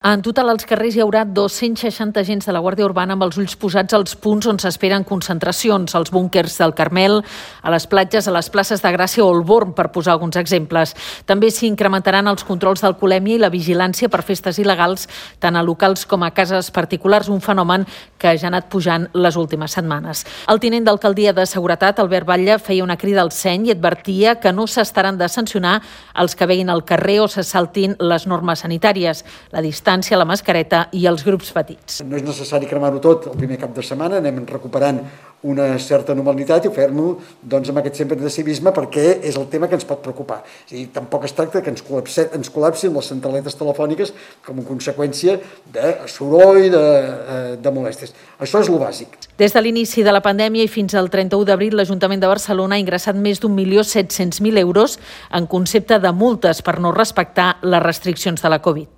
En total, als carrers hi haurà 260 agents de la Guàrdia Urbana amb els ulls posats als punts on s'esperen concentracions, als búnquers del Carmel, a les platges, a les places de Gràcia o el Born, per posar alguns exemples. També s'hi incrementaran els controls d'alcoholèmia i la vigilància per festes il·legals, tant a locals com a cases particulars, un fenomen que ja ha anat pujant les últimes setmanes. El tinent d'alcaldia de Seguretat, Albert Batlle, feia una crida al seny i advertia que no s'estaran de sancionar els que veguin al carrer o se saltin les normes sanitàries, la distància, la mascareta i els grups petits. No és necessari cremar-ho tot el primer cap de setmana, anem recuperant una certa normalitat i fer-lo amb aquest sempre de civisme, perquè és el tema que ens pot preocupar. Tampoc es tracta que ens col·lapsin les centraletes telefòniques com a conseqüència de soroll, de molèsties. Això és el bàsic. Des de l'inici de la pandèmia i fins al 31 d'abril, l'Ajuntament de Barcelona ha ingressat més d'1.700.000 euros en concepte de multes per no respectar les restriccions de la Covid.